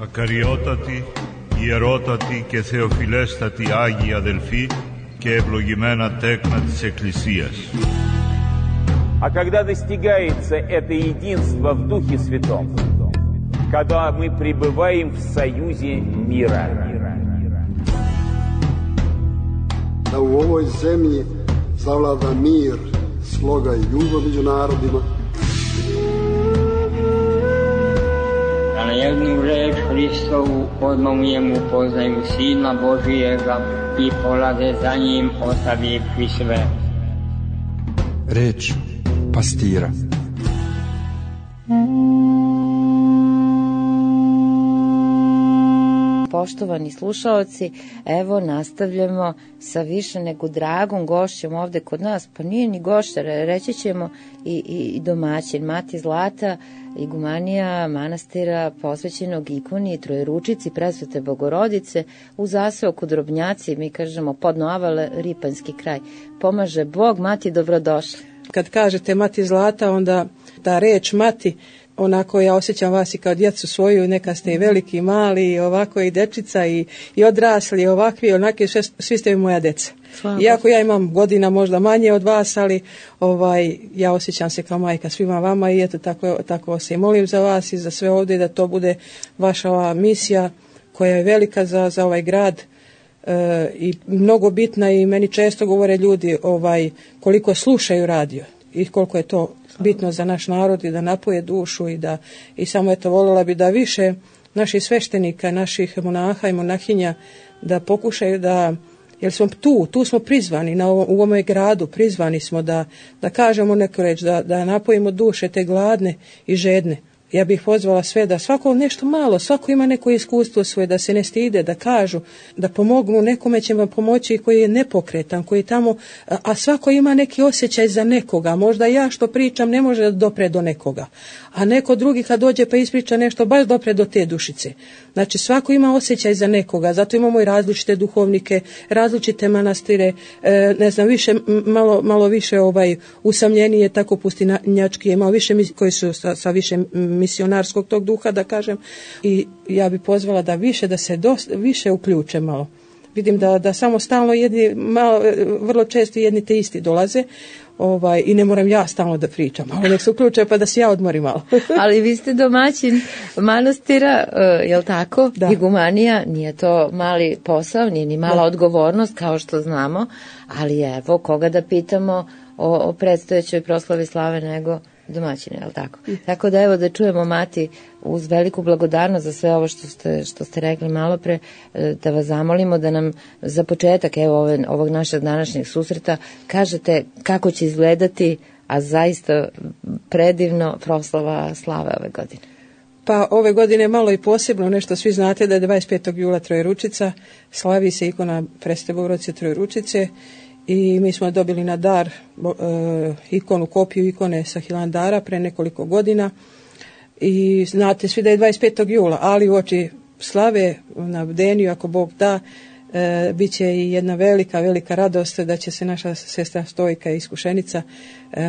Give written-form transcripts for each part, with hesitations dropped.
Ακαριότατοι, ιερότατοι και θεοφιλέστατοι Άγιοι αδελφοί και ευλογημένα τέκνα της Εκκλησίας. А когда достигается это единство в Духе Святом, когда мы пребываем в союзе мира. Da u ovoj zemlji zavlada mir, sloga i ljubav među narodima. Da na jednu reč Hristovu odmah poznaju Sina Božijega i polaze za njim ostavivši sve. Reč pastira. Poštovani slušaoci, evo nastavljamo sa više nego dragom gošćom ovde kod nas, pa nije ni gošća, reći ćemo i domaćin, Mati Zlata, igumanija manastira posvećenog ikoni Trojeručici Presvete Bogorodice u zaseoku Drobnjaci, mi kažemo Podnoavale, Ripanjski kraj. Pomaže Bog. Mati, dobrodošli. Kad kažete Mati Zlata, onda ta reč Mati, onako ja osjećam vas i kao djecu svoju, neka ste i veliki, i mali, i ovako i dečica, i odrasli, i ovakvi, onaki, svi ste moja deca. Iako ja imam godina možda manje od vas, ali ja osjećam se kao majka svima vama i eto tako se i molim za vas i za sve ovdje da to bude vaša ova misija koja je velika za ovaj grad i mnogo bitna i meni često govore ljudi koliko slušaju radio i koliko je to bitno za naš narod i da napoje dušu i samo eto voljela bi da više naših sveštenika, naših monaha i monahinja da pokušaju da, jer smo tu smo prizvani u ovome gradu, prizvani smo da kažemo neku reč, da napojimo duše te gladne i žedne. Ja bih pozvala sve da svako nešto malo, svako ima neko iskustvo svoje, da se ne stide, da kažu, da pomognu, nekome će vam pomoći koji je nepokretan, koji je tamo, a svako ima neki osjećaj za nekoga. Možda ja što pričam ne može da dopre do nekoga, a neko drugi kad dođe pa ispriča nešto baš dopre do te dušice. Znači svako ima osjećaj za nekoga, zato imamo i različite duhovnike, različite manastire, ne znam, više, malo više usamljenije, tako pustinjački, ima više koji su sa više misionarskog tog duha, da kažem, i ja bi pozvala da se više uključe malo. Vidim da samo stalno vrlo često jedni te isti dolaze i ne moram ja stalno da pričam, ali nek se uključe pa da se ja odmorim malo. Ali vi ste domaćin manastira, jel tako? Da. Igumanija, nije to mali posao, nije ni mala odgovornost kao što znamo, ali evo koga da pitamo o predstojećoj proslavi slave nego domaćine, jel tako? Tako da evo da čujemo, Mati, uz veliku blagodarnost za sve ovo što ste rekli malo pre, da vas zamolimo da nam za početak ovog našeg današnjeg susreta kažete kako će izgledati, a zaista predivno, proslava slave ove godine. Pa ove godine malo i posebno nešto, svi znate da je 25. jula Trojeručica, slavi se ikona Presvete Bogorodice Trojeručice i mi smo dobili na dar kopiju ikone sa Hilandara pre nekoliko godina i znate svi da je 25. jula, ali u oči slave na bdeniju, ako Bog da, bit će i jedna velika radost da će se naša sestra Stojka Iskušenica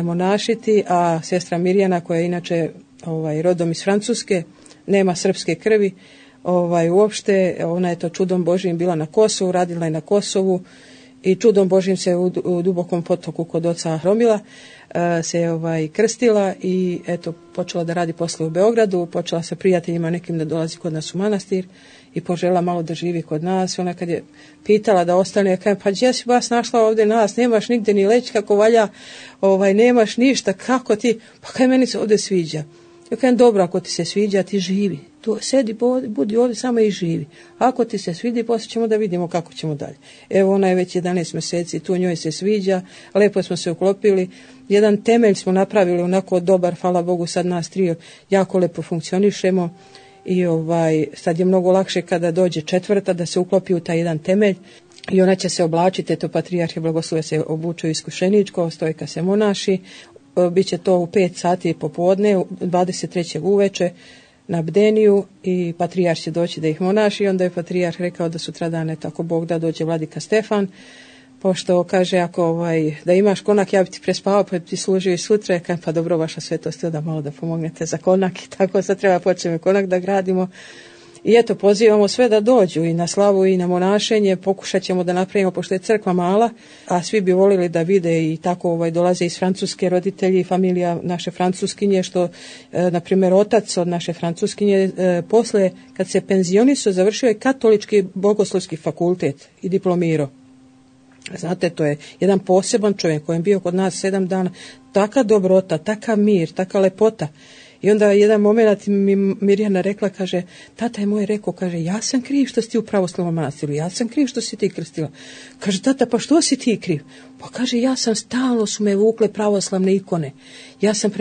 monašiti, a sestra Mirjana, koja je inače rodom iz Francuske, nema srpske krvi, uopšte, ona je to čudom Božijim bila na Kosovu, radila je na Kosovu i čudom Božijim se u dubokom potoku kod oca Hromila se krstila i eto počela da radi posle u Beogradu, počela sa prijateljima nekim da dolazi kod nas u manastir i požela malo da živi kod nas. Ona kad je pitala da ostane, kaže, pa gdje si vas našla ovdje nas, nemaš nigde ni leći kako valja, nemaš ništa, kako ti, pa kaj meni se ovdje sviđa. Ja kažem, dobro, ako ti se sviđa, ti živi. Tu sedi, budi ovdje samo i živi. Ako ti se svidi, poslije ćemo da vidimo kako ćemo dalje. Evo, ona je već 11 mjeseci, tu njoj se sviđa, lepo smo se uklopili. Jedan temelj smo napravili onako dobar, hvala Bogu, sad nas trio jako lepo funkcionišemo i sad je mnogo lakše kada dođe četvrta da se uklopi u taj jedan temelj i ona će se oblačiti, eto patrijarh blagoslove se obuču iskušeničko, Stojka se monaši, biće to u 5 sati popodne, 23. uveče na bdeniju i patrijarh će doći da ih monaši i onda je patrijarh rekao da sutradan, tako Bog da, dođe vladika Stefan, pošto kaže ako da imaš konak ja bi ti prespavao pa bi ti služio i sutra, pa dobro vaša svetost da malo da pomognete za konak i tako sad treba počnemo konak da gradimo I eto, pozivamo sve da dođu i na slavu i na monašenje, pokušat ćemo da napravimo, pošto je crkva mala, a svi bi volili da vide i tako dolaze iz Francuske roditelji i familija naše Francuskinje, što, na primjer, otac od naše Francuskinje, posle, kad se penzionisao, završio je katolički bogoslovski fakultet i diplomirao. Znate, to je jedan poseban čovjek koji je bio kod nas 7 dana, taka dobrota, taka mir, taka lepota. I onda jedan moment mi Mirjana rekla, kaže, tata je moj rekao, kaže, ja sam kriv što si ti u pravoslavnom manastiru, ja sam kriv što si ti krstila. Kaže, tata, pa što si ti kriv? Pa kaže, ja sam stalno su me vukle pravoslavne ikone. Ja sam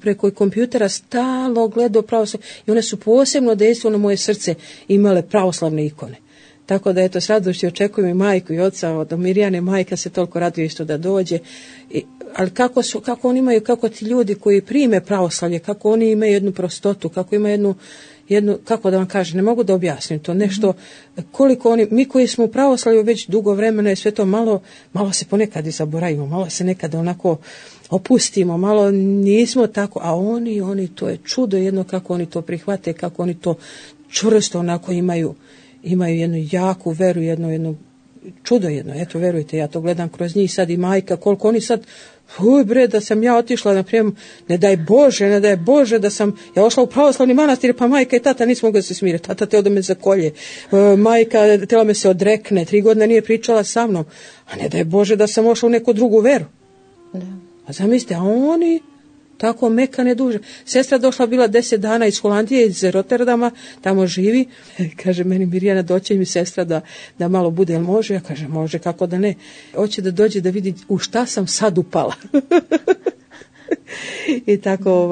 preko kompjutera stalno gledao pravoslavne i one su posebno dejstvo na moje srce imale pravoslavne ikone. Tako da, eto, s radošću očekujem i majku i oca od Mirjane, majka se toliko raduje isto da dođe. Ali kako oni imaju, kako ti ljudi koji prime pravoslavlje, kako oni imaju jednu prostotu, kako imaju jednu, kako da vam kažem, ne mogu da objasnim to, nešto, koliko oni, mi koji smo u pravoslavlju već dugo vremena je sve to malo se ponekad i zaboravimo, malo se nekad onako opustimo, malo nismo tako, a oni, to je čudo jedno kako oni to prihvate, kako oni to čvrsto onako imaju jednu jaku veru, jedno čudo jedno. Eto, verujte, ja to gledam kroz njih sad i majka, koliko oni sad, da sam ja otišla, naprimjer, ne daj Bože da sam ja ošla u pravoslavni manastir, pa majka i tata nismo mogli se smiriti, tata teo da me zakolje, majka tela me se odrekne, 3 godine nije pričala sa mnom, a ne daj Bože da sam ošla u neku drugu veru. Da. A zamislite, a oni tako mekane duže. Sestra došla bila 10 dana iz Holandije, iz Rotterdama, tamo živi. Kaže meni Mirjana, doće mi sestra da malo bude, jel može? Ja kažem, može, kako da ne. Hoće da dođe da vidi u šta sam sad upala. I tako,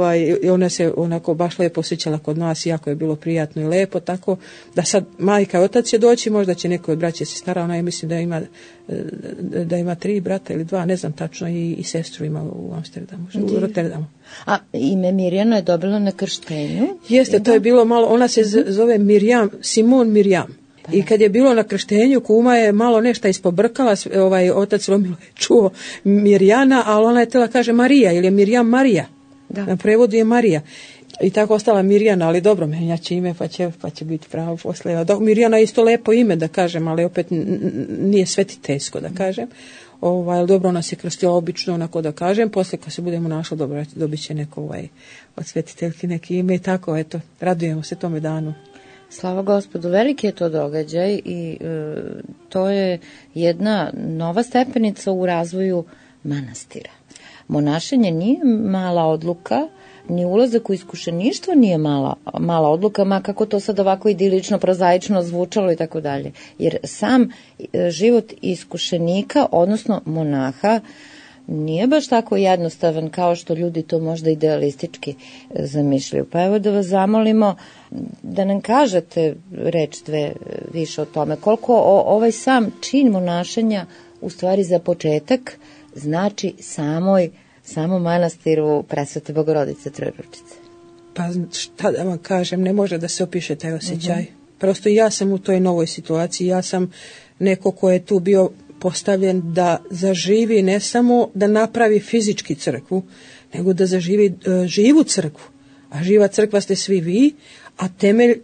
ona se onako baš lepo osjećala kod nas, jako je bilo prijatno i lepo, tako da sad majka i otac će doći, možda će neko od braće se stara, ona je mislim da ima 3 brata ili 2, ne znam tačno, i sestru ima u Amsterdamu, u Rotterdamu. A ime Mirjana je dobila na krštenju? Jeste, to je bilo malo, ona se zove Simon Mirjam. I kad je bilo na krštenju, kuma je malo nešto ispobrkala, otac Romilo je čuo Mirjana, ali ona je tela kaže Marija, ili je Mirjam Marija. Da. Na prevodu je Marija. I tako ostala Mirjana, ali dobro, menjaće ime pa će biti pravo posle. Mirjana je isto lepo ime da kažem, ali opet nije svetiteljsko da kažem. Dobro, ona se krstila obično, onako da kažem, posle kad se budemo našli, dobro, dobit će neko od svetiteljki neki ime i tako, eto, radujemo se tome danu. Slava Gospodu, veliki je to događaj i to je jedna nova stepenica u razvoju manastira. Monašenje nije mala odluka, ni ulazak u iskušeništvo nije mala odluka, ma kako to sad ovako idilično, prozaično zvučalo i tako dalje. Jer sam život iskušenika, odnosno monaha, nije baš tako jednostavan kao što ljudi to možda idealistički zamišljaju. Pa evo da vas zamolimo da nam kažete reč 2 više o tome. Koliko ovaj sam čin monašenja u stvari za početak znači samom manastiru Presvete Bogorodice Trojeručice? Pa šta da vam kažem, ne može da se opiše taj osjećaj. Prosto ja sam u toj novoj situaciji, ja sam neko ko je tu bio postavljen da zaživi, ne samo da napravi fizički crkvu, nego da zaživi živu crkvu. A živa crkva ste svi vi, a temelj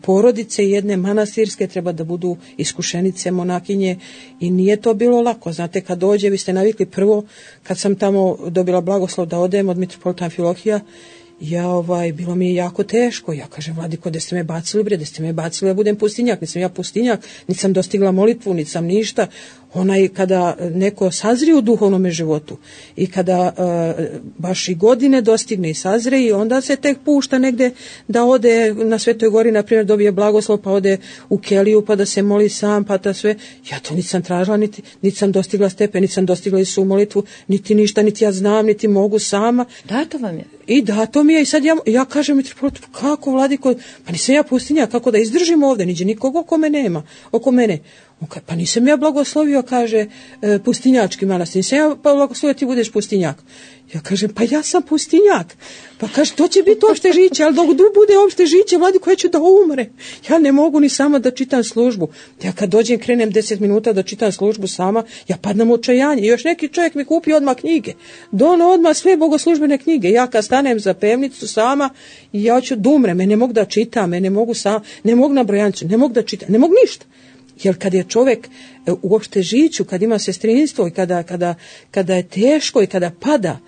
porodice jedne manastirske treba da budu iskušenice, monakinje i nije to bilo lako. Znate, kad dođe, vi ste navikli prvo, kad sam tamo dobila blagoslov da odem od mitropolita Amfilohija, bilo mi je jako teško. Ja kažem, vladiko, da ste me bacili da budem pustinjak, nisam ja pustinjak, nisam dostigla molitvu, nisam ništa. Kada neko sazri u duhovnom životu i kada baš i godine dostigne i sazre i onda se tek pušta negde da ode na Svetoj gori, na primjer dobije blagoslov pa ode u keliju pa da se moli sam, pa da sve. Ja to nisam tražila, niti sam dostigla stepen, niti sam dostigla i su molitvu, niti ništa, niti ja znam, niti mogu sama. Dato vam je? I dato mi je i sad ja kažem mitropolitu, kako vladiko, pa nisam ja pustinja, kako da izdržim ovde, niđe nikog oko mene. On kaže, pa nisam ja blagoslovio, kaže, pustinjački manastir, nisam ja blagoslovio ti budeš pustinjak. Ja kažem, pa ja sam pustinjak. Pa kaže, to će biti opšte žiće, ali dok bude opšte žiće, vladiko, ja ću da umre. Ja ne mogu ni sama da čitam službu. Ja kad dođem, krenem 10 minuta da čitam službu sama, ja padnem u očajanje. I još neki čovjek mi kupi odmah knjige. Dono odmah sve bogoslužbene knjige. Ja kad stanem za pevnicu sama, ja ću da umrem, ne mogu da čitam, ne mogu na brojanicu, ne mogu da čitam, ne mogu ništa. Jer kad je čovjek uopšte žiću, kad ima sestrinstvo i kada je teško i kada pada,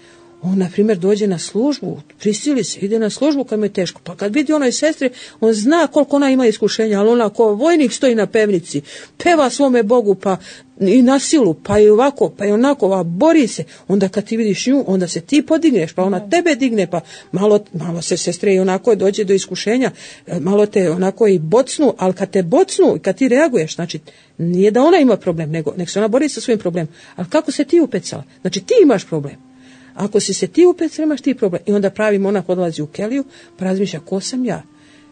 on, na primjer, dođe na službu, prisili se, ide na službu kad mu je teško. Pa kad vidi onoj sestri, on zna koliko ona ima iskušenja, ali ona ko vojnik stoji na pevnici, peva svome Bogu, pa i na silu, pa i ovako, pa i onako, a bori se. Onda kad ti vidiš nju, onda se ti podigneš, pa ona tebe digne, pa malo se sestre i onako dođe do iskušenja, malo te onako i bocnu, ali kad te bocnu i kad ti reaguješ, znači nije da ona ima problem, nego se ona bori sa svojim problemom. Ali kako se ti upecala? Znači ti imaš problem. Ako si se ti upecala, imaš ti problem. I onda pravi monah odlazi u keliju, pa razmišlja, ko sam ja?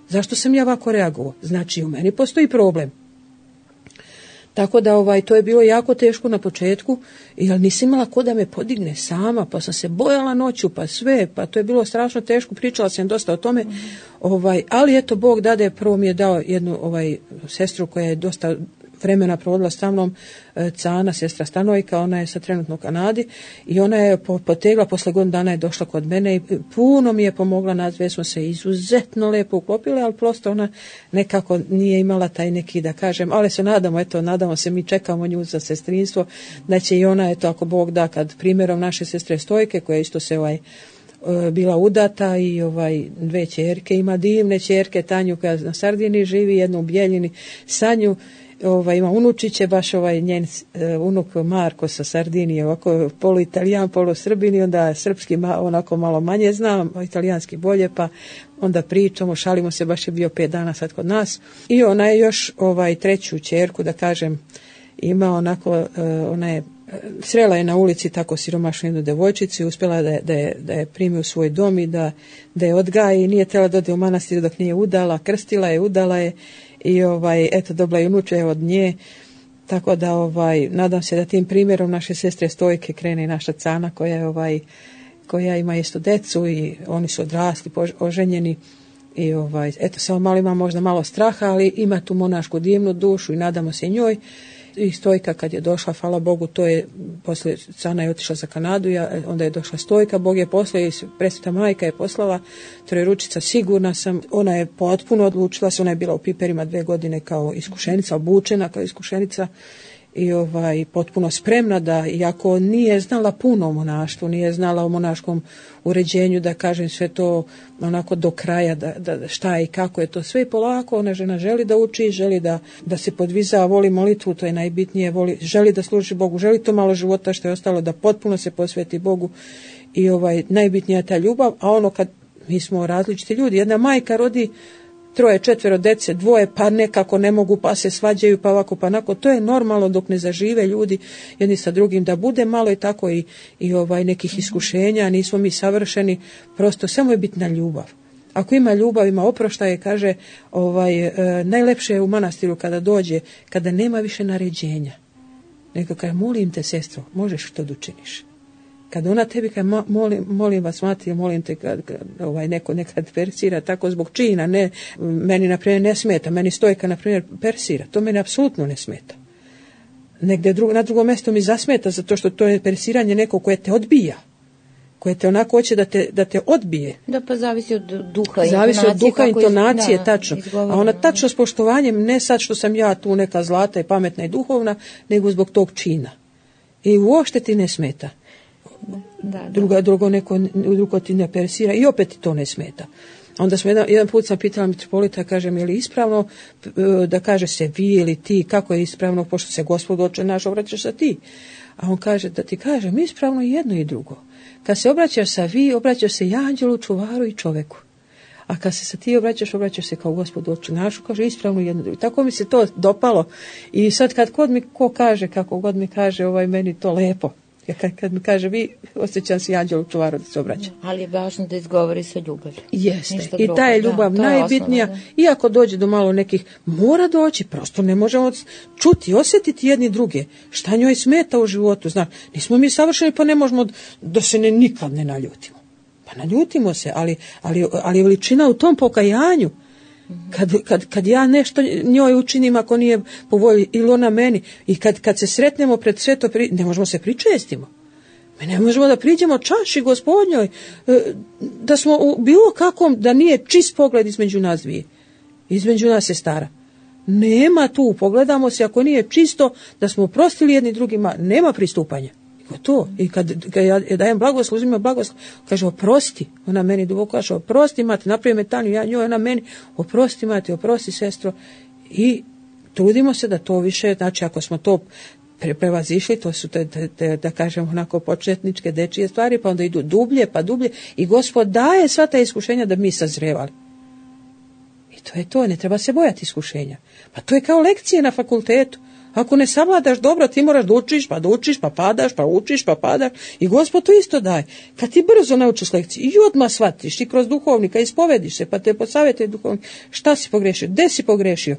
Zašto sam ja ovako reagovao? Znači u meni postoji problem. Tako da to je bilo jako teško na početku, jer nisam imala ko da me podigne sama, pa sam se bojala noću, pa sve, pa to je bilo strašno teško, pričala sam dosta o tome, ali eto Bog dade, prvo mi je dao jednu sestru koja je dosta vremena provodila sa mnom, Cana, sestra Stanojka, ona je sad trenutno u Kanadi i ona je potegla, posle godinu dana je došla kod mene i puno mi je pomogla, nas dve smo se izuzetno lepo uklopile, ali prosto ona nekako nije imala taj neki, da kažem, ali se nadamo se, mi čekamo nju za sestrinstvo, da će i ona, ako Bog da, kad primjerom naše sestre Stojke, koja isto se bila udata i dve ćerke, ima divne ćerke, Tanju koja na Sardini živi, jednu u Bjeljini, Sanju, ima unučiće, baš njen unuk Marko sa Sardinije, ovako polu Italijan, polu Srbin i onda srpski onako malo manje znam, italijanski bolje, pa onda pričamo, šalimo se, baš je bio 5 dana sad kod nas. I ona je još treću ćerku, da kažem, ima onako, ona je srela je na ulici tako siromašnu jednu devojčicu i uspjela da je primi u svoj dom i da je odgaji i nije trebala da ode u manastir dok nije udala, krstila je, udala je i eto dobila je unuče od nje, tako da nadam se da tim primjerom naše sestre Stojke krene i naša Cana koja ima isto decu i oni su odrasli, oženjeni i eto samo malo ima možda malo straha, ali ima tu monašku divnu dušu i nadamo se njoj. I Stojka kad je došla, hvala Bogu, to je posle Cana je otišla za Kanadu, onda je došla Stojka, Bog je poslao i Presveta majka je poslala Trojeručica, sigurna sam, ona je potpuno odlučila se, ona je bila u Piperima 2 godine kao iskušenica, obučena kao iskušenica i potpuno spremna da, iako nije znala puno o monaštvu, nije znala o monaškom uređenju, da kažem sve to onako do kraja, da šta i kako je to sve i polako, ona žena želi da uči, želi da se podviza, voli molitvu, to je najbitnije, želi da služi Bogu, želi to malo života što je ostalo da potpuno se posveti Bogu i najbitnija je ta ljubav, a kad mi smo različiti ljudi, jedna majka rodi 3, 4 dece, 2, pa nekako ne mogu, pa se svađaju, pa ovako, pa onako. To je normalno dok ne zažive ljudi jedni sa drugim, da bude malo i tako i nekih iskušenja, nismo mi savršeni, prosto samo je bitna ljubav. Ako ima ljubav, ima oproštaje, kaže, najlepše je u manastiru kada dođe, kada nema više naređenja. Nego kaže, molim te sestro, možeš što da učiniš. Kad ona tebi kaže, molim vas, mati, molim te, kad neko nekad persira, tako zbog čina, ne, meni, na primjer, ne smeta, meni Stojka, na primjer, persira, to meni apsolutno ne smeta. Negde na drugom mjestu mi zasmeta, zato što to je persiranje neko koje te odbija, koje te onako hoće da te odbije. Da, pa zavisi od duha, intonacije, tačno. A ona tačno s poštovanjem, ne sad što sam ja tu neka zlata i pametna i duhovna, nego zbog tog čina. I uopšte ti ne smeta. Drugo ti ne persira i opet ti to ne smeta. Onda smo jedan put sam pitala mitropolita, kažem, je li ispravno da kaže se vi ili ti, kako je ispravno, pošto se Gospod Oče naš obraćaš sa ti. A on kaže, da ti kažem, ispravno i jedno i drugo. Kad se obraćaš sa vi, obraćaš se i anđelu, čuvaru i čoveku. A kad se sa ti obraćaš se kao Gospod Oče našu, kaže ispravno jedno i drugo. Tako mi se to dopalo. I sad kad god mi ko kaže, kako god mi kaže, meni to lepo. Kad mi kaže vi, osjećam se anđelu čuvaru da se obraća. Ali je važno da izgovori sa ljubavi. Jeste. I ta je ljubav najbitnija. Osnovno, iako dođe do malo nekih, mora doći, prosto ne možemo čuti, osjetiti jedni druge. Šta njoj smeta u životu, znaš. Nismo mi savršeni, pa ne možemo da se nikad ne naljutimo. Pa naljutimo se, ali veličina u tom pokajanju. Kad ja nešto njoj učinim ako nije po volji ili ona meni i kad se sretnemo pred sveto, ne možemo se pričestimo. Mi ne možemo da priđemo čaši Gospodnjoj, da smo u bilo kakvom, da nije čist pogled između nas dvije. Između nas je stara. Nema tu, pogledamo se, ako nije čisto, da smo oprostili jedni drugima, nema pristupanja. To. I kad ja dajem blagoslov, uzimam blagoslov, kaže oprosti, ona meni duboko kaže oprosti mati, napravi metaniju, ja njoj, ona meni, oprosti mati, oprosti sestro, i trudimo se da to više, znači ako smo to prevazišli, to su da kažem onako početničke dečije stvari, pa onda idu dublje, pa dublje, i Gospod daje sva ta iskušenja da mi sazrevali. I to je to, ne treba se bojati iskušenja. Pa to je kao lekcije na fakultetu. Ako ne savladaš dobro, ti moraš da učiš, pa padaš, pa učiš, pa padaš. I Gospod to isto daje. Kad ti brzo naučiš lekciju i odmah shvatiš i kroz duhovnika ispovediš se, pa te posavjetuje duhovnik, šta si pogrešio, gde si pogrešio.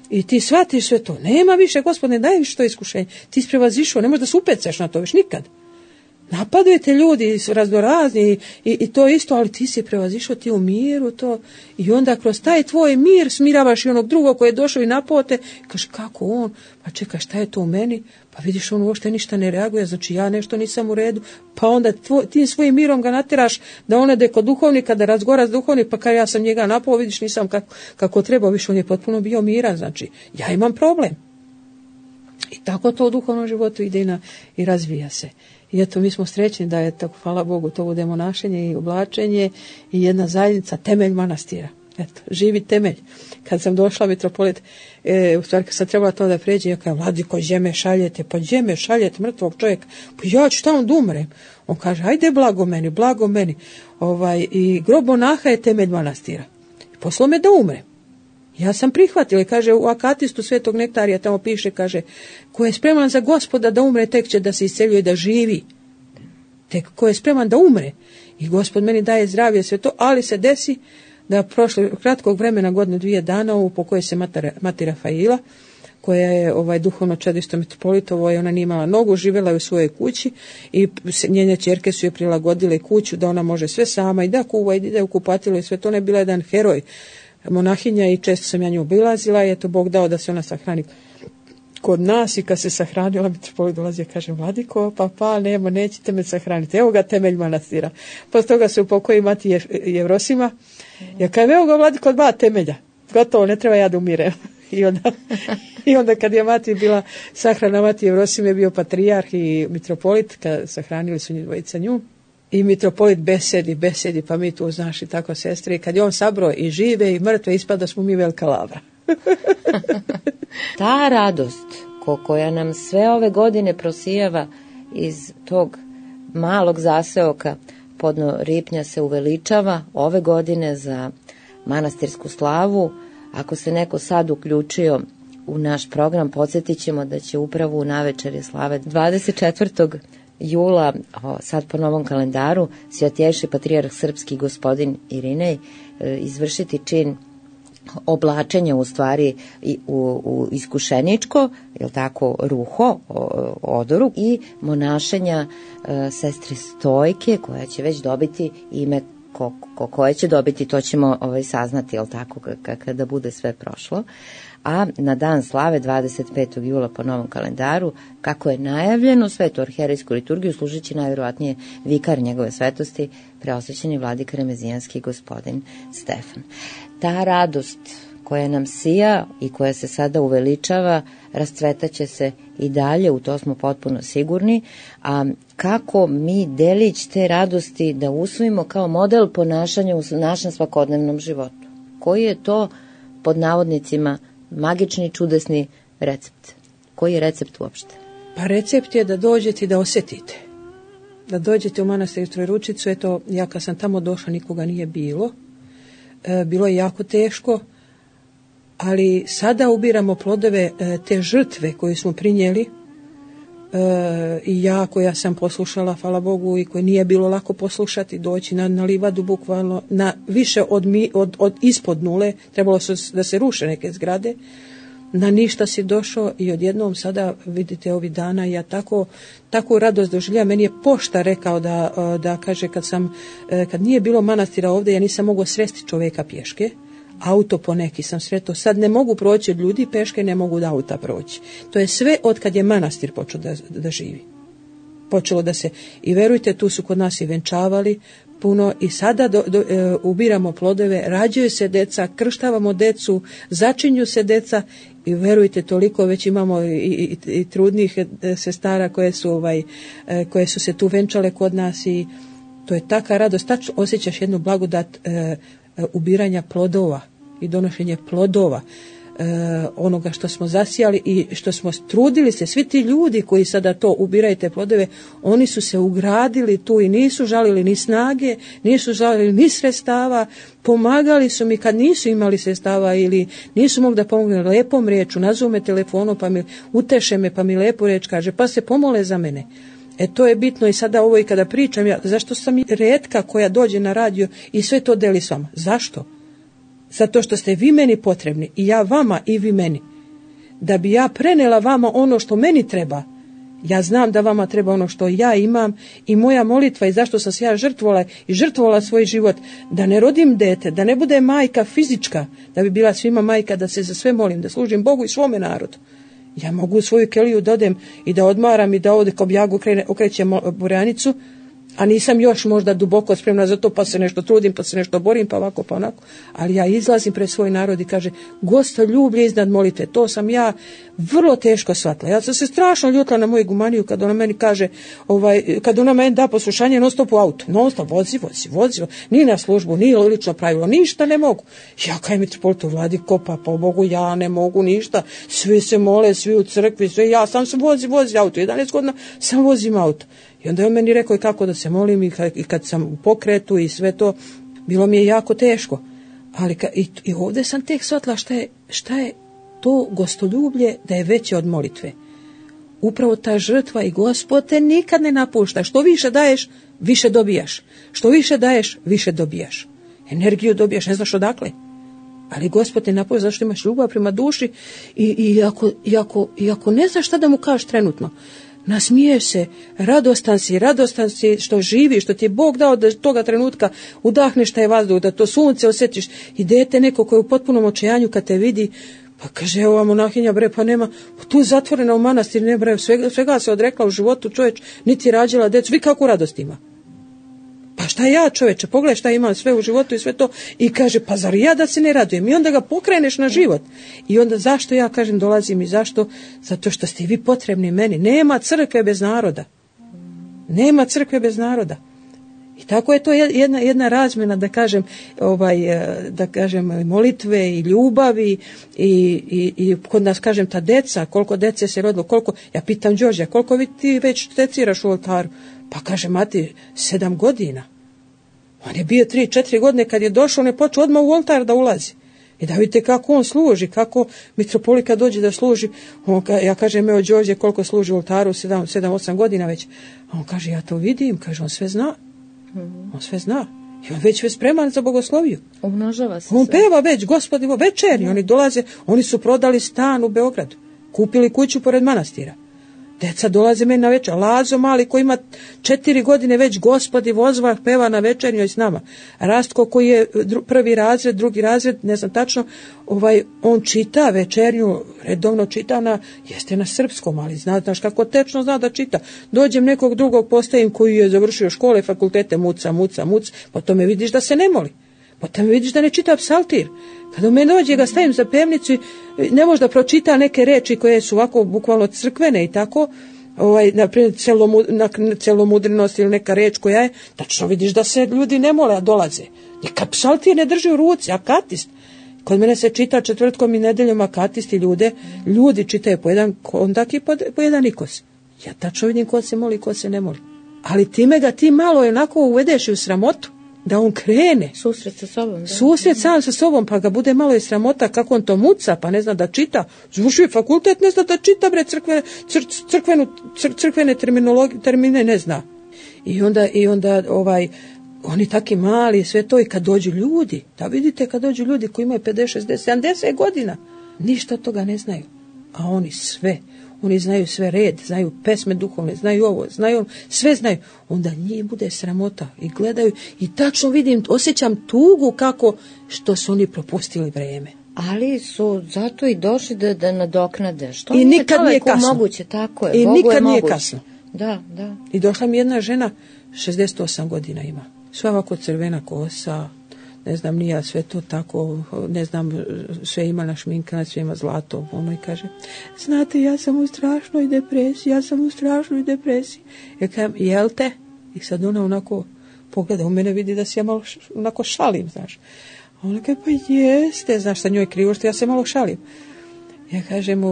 I ti shvatiš sve to. Nema više, Gospod, ne daje više to iskušenje. Ti si prevazišao, ne možeš da se upecaš na to više nikad. Napadaju te ljudi raznorazni i to isto, ali ti si prevazišao, ti u miru to, i onda kroz taj tvoj mir smiravaš i onog drugog koji je došao i napote, kaže kako on, pa čekaj šta je to u meni, pa vidiš on uopšte ništa ne reaguje, znači ja nešto nisam u redu, pa onda tim svojim mirom ga natjeraš da on ide kod duhovnika, da razgovara s duhovnik, pa kada ja sam njega napao, vidiš nisam kako treba, više on je potpuno bio miran, znači ja imam problem. I tako to u duhovnom životu ide i razvija se. I eto, mi smo srećni da je tako, hvala Bogu, to bude monašenje i oblačenje i jedna zajednica, temelj manastira. Eto, živi temelj. Kad sam došla, mitropolit, u stvari kad sam trebala to da pređe, ja kažem, Vladiko, gdje me šaljete? Pa gdje me šaljete, mrtvog čovjeka? Pa ja ću tamo da umrem. On kaže, ajde, blago meni. I grob monaha je temelj manastira. Poslao me da umrem. Ja sam prihvatila i kaže u Akatistu Svetog Nektarija tamo piše, kaže, ko je spreman za Gospoda da umre, tek će da se isceljuje da živi. Tek ko je spreman da umre. I Gospod meni daje zdravlje sve to, ali se desi da prošle kratkog vremena, godinu, 2 dana, upokojuje se mati Rafaila, koja je duhovno čedište mitropolitovo, i ona nije imala nogu, živjela je u svojoj kući i njene ćerke su je prilagodile kuću da ona može sve sama i da kuva i da ide u kupatilo i sve to. Ne bila jedan heroj monahinja i često sam ja nju obilazila i eto Bog dao da se ona sahrani kod nas, i kad se sahranila mitropolit dolazi i kaže, Vladiko, pa nema, nećete me sahraniti, evo ga temelj manastira. Posle toga se upokoji mati Jevrosima, ja kažem, evo ga Vladiko, 2 temelja, gotovo, ne treba ja da umirem. I onda kad je mati bila sahrana, mati Jevrosime je bio patrijarh i mitropolit, kad sahranili su dvojica nju. I mitropolit besedi, pa mi tu, znaš, i tako sestre, i kad je on sabro i žive i mrtve, ispada smo mi velika lavra. Ta radost koja nam sve ove godine prosijava iz tog malog zaseoka podno Ripnja se uveličava ove godine za manastirsku slavu. Ako se neko sad uključio u naš program, podsjetit ćemo da će upravo u navečerje slave 24. jula, sad po novom kalendaru, Svjatjejši patrijarh srpski gospodin Irinej izvršiti čin oblačenja, u stvari u iskušeničko, jel tako, ruho, odoru, i monašenja sestre Stojke, koja će već dobiti ime koje će dobiti, to ćemo saznati, jel tako, kada bude sve prošlo. A na dan slave 25. jula po novom kalendaru, kako je najavljeno, svetu arhijerejsku liturgiju služeći najvjerovatnije vikar njegove svetosti, preosvećeni vladika remezijanski gospodin Stefan. Ta radost koja nam sija i koja se sada uveličava, rascvetaće se i dalje, u to smo potpuno sigurni. A kako mi delić te radosti da usvojimo kao model ponašanja u našem svakodnevnom životu? Koji je to, pod navodnicima, magični, čudesni recept? Koji je recept uopšte? Pa recept je da dođete i da osjetite. Da dođete u manastir Trojeručicu, eto, ja kad sam tamo došla nikoga nije bilo. Bilo je jako teško, ali sada ubiramo plodove te žrtve koje smo prinijeli i ja koja sam poslušala, hvala Bogu, i koje nije bilo lako poslušati, doći na livadu bukvalno na više od ispod nule, trebalo da se ruše neke zgrade, na ništa si došao i odjednom sada vidite ovih dana ja tako radost doživljam. Meni je pošta rekao da kaže kad nije bilo manastira ovdje, ja nisam mogao sresti čovjeka pješke, auto poneki sam sretao, sad ne mogu proći od ljudi peške, ne mogu da auta proći. To je sve od kad je manastir počeo da živi. Počelo da se, i verujte, tu su kod nas i venčavali puno i sada ubiramo plodove, rađaju se deca, krštavamo decu, začinju se deca i verujte, toliko već imamo i trudnih sestara koje su se tu venčale kod nas i to je taka radost, tačno osjećaš jednu blagodat ubiranja plodova i donošenje plodova onoga što smo zasijali i što smo trudili se. Svi ti ljudi koji sada to ubiraju te plodove, oni su se ugradili tu i nisu žalili ni snage, nisu žalili ni sredstava, pomagali su mi kad nisu imali sredstava ili nisu mogli da pomogu lepom riječu, nazovu me telefonom pa mi uteše me, pa mi lepo riječ kaže, pa se pomole za mene. To je bitno i sada ovo i kada pričam, zašto sam retka koja dođe na radio i sve to deli s vama? Zašto? Zato što ste vi meni potrebni i ja vama i vi meni. Da bi ja prenela vama ono što meni treba, ja znam da vama treba ono što ja imam i moja molitva i zašto sam se ja žrtvovala svoj život, da ne rodim dete, da ne bude majka fizička, da bi bila svima majka, da se za sve molim, da služim Bogu i svome narodu. Ja mogu u svoju keliju da odem i da odmaram i da ovdje kao bjagu okrećem burjanicu, a nisam još možda duboko spremna za to, pa se nešto trudim, pa se nešto borim, pa ovako, pa onako. Ali ja izlazim pred svoj narod i kaže, gostoljublje iznad molitve. To sam ja vrlo teško shvatila. Ja sam se strašno ljutila na moju gumaniju kad ona meni kaže, kad ona meni da poslušanje non stop u auto. Non stop, vozi. Ni na službu, ni lično pravilo, ništa ne mogu. Ja kaj mitropolit u vladi kopa, pa Bogu ja ne mogu ništa. Svi se mole, svi u crkvi, sve. Ja sam se vozi auto. 11 godina sam vozim auto. I onda je on meni rekao i kako da se molim i kad sam u pokretu i sve to, bilo mi je jako teško. Ali i ovdje sam tek shvatila šta je to gostoljublje da je veće od molitve. Upravo ta žrtva i Gospod te nikad ne napušta. Što više daješ, više dobijaš. Što više daješ, više dobijaš. Energiju dobijaš, ne znaš odakle. Ali Gospod te napušta zašto imaš ljubav prema duši i ako ne znaš šta da mu kažeš trenutno, nasmiješ se, radostan si što živiš, što ti je Bog dao da toga trenutka udahneš taj vazduh, da to sunce osjetiš i dete neko koje je u potpunom očajanju kad te vidi, pa kaže, evo monahinja bre, pa nema, tu zatvorena u manastir, ne bre, svega se odrekla u životu, čovječ, niti rađala decu, vi kakvu radost ima? Pa šta ja, čoveče, pogledaj šta imam sve u životu i sve to, i kaže, pa zar ja da se ne radujem? I onda ga pokreneš na život. I onda zašto ja kažem dolazim i zašto? Zato što ste vi potrebni meni. Nema crkve bez naroda. Nema crkve bez naroda. I tako je to jedna razmjena, da kažem, molitve i ljubavi i kod nas, kažem, ta deca, koliko dece se rodilo, ja pitam Đorđa, koliko ti već teciraš u oltaru? Pa kaže, mati, 7 godina. On je bio 3-4 godine kad je došao, on je počeo odmah u oltar da ulazi. I da vidite kako on služi, kako mitropolika dođe da služi. Ja kažem, evo Đorđe, koliko služi u oltaru, 7-8 godina već. A on kaže, ja to vidim, kaže, on sve zna. On sve zna. I on već spreman za bogosloviju. Umnožava se. On peva već, Gospodi, večernji. Oni dolaze, oni su prodali stan u Beogradu. Kupili kuću pored manastira. Deca dolaze meni na večer. Lazo mali koji ima 4 godine već, Gospodi vozva, peva na večernjoj s nama. Rastko koji je prvi razred, drugi razred, ne znam tačno, on čita večernju, redovno čita jeste na srpskom, ali znaš kako tečno zna da čita. Dođem nekog drugog postavim koji je završio škole, fakultete, muca, po tome vidiš da se ne moli. Potom vidiš da ne čita psaltir. Kada me dođe ga stavim za pevnicu i ne može da pročita neke reči koje su ovako bukvalno crkvene i tako, na primjer celomudrenost ili neka reč koja je, tačno vidiš da se ljudi ne mole, a dolaze. Neka psaltir ne drži u ruci, akatist. Kod mene se čita četvrtkom i nedeljom akatisti ljudi čitaju po jedan kondak i po jedan nikos. Ja tačno vidim ko se moli, ko se ne moli. Ali time ga ti malo onako uvedeš u sramotu. da on krene. Susret sa sobom. Da. Susret sam sa sobom, pa ga bude malo i sramota kako on to muca, pa ne zna da čita. Završio fakultet, ne zna da čita, bre, crkvene termine ne zna. I onda oni taki mali, sve to, i kad dođu ljudi, da vidite kad dođu ljudi koji imaju 50, 60, 70 godina, ništa od toga ne znaju. A oni znaju sve red, znaju pesme duhovne, znaju ovo, znaju ono, sve znaju. Onda njih bude sramota i gledaju i tačno vidim, osjećam tugu kako što su oni propustili vreme. Ali su zato i došli da nadoknade. Što i nikad nije kasno. Moguće, tako je. I Bogu nikad je nije moguće. kasno. Da. I došla mi jedna žena, 68 godina ima. Sva ovako crvena kosa, ne znam, nije sve to tako, ne znam, sve ima našminkana, sve ima zlato. Ono i kaže, znate, ja sam u strašnoj depresiji. Ja kažem, jel te? I sad ona onako pogleda u mene, vidi da se ja malo onako šalim, znaš. A ona kaže, pa jeste, znaš, sa njoj krivo što ja se malo šalim. Ja kažem,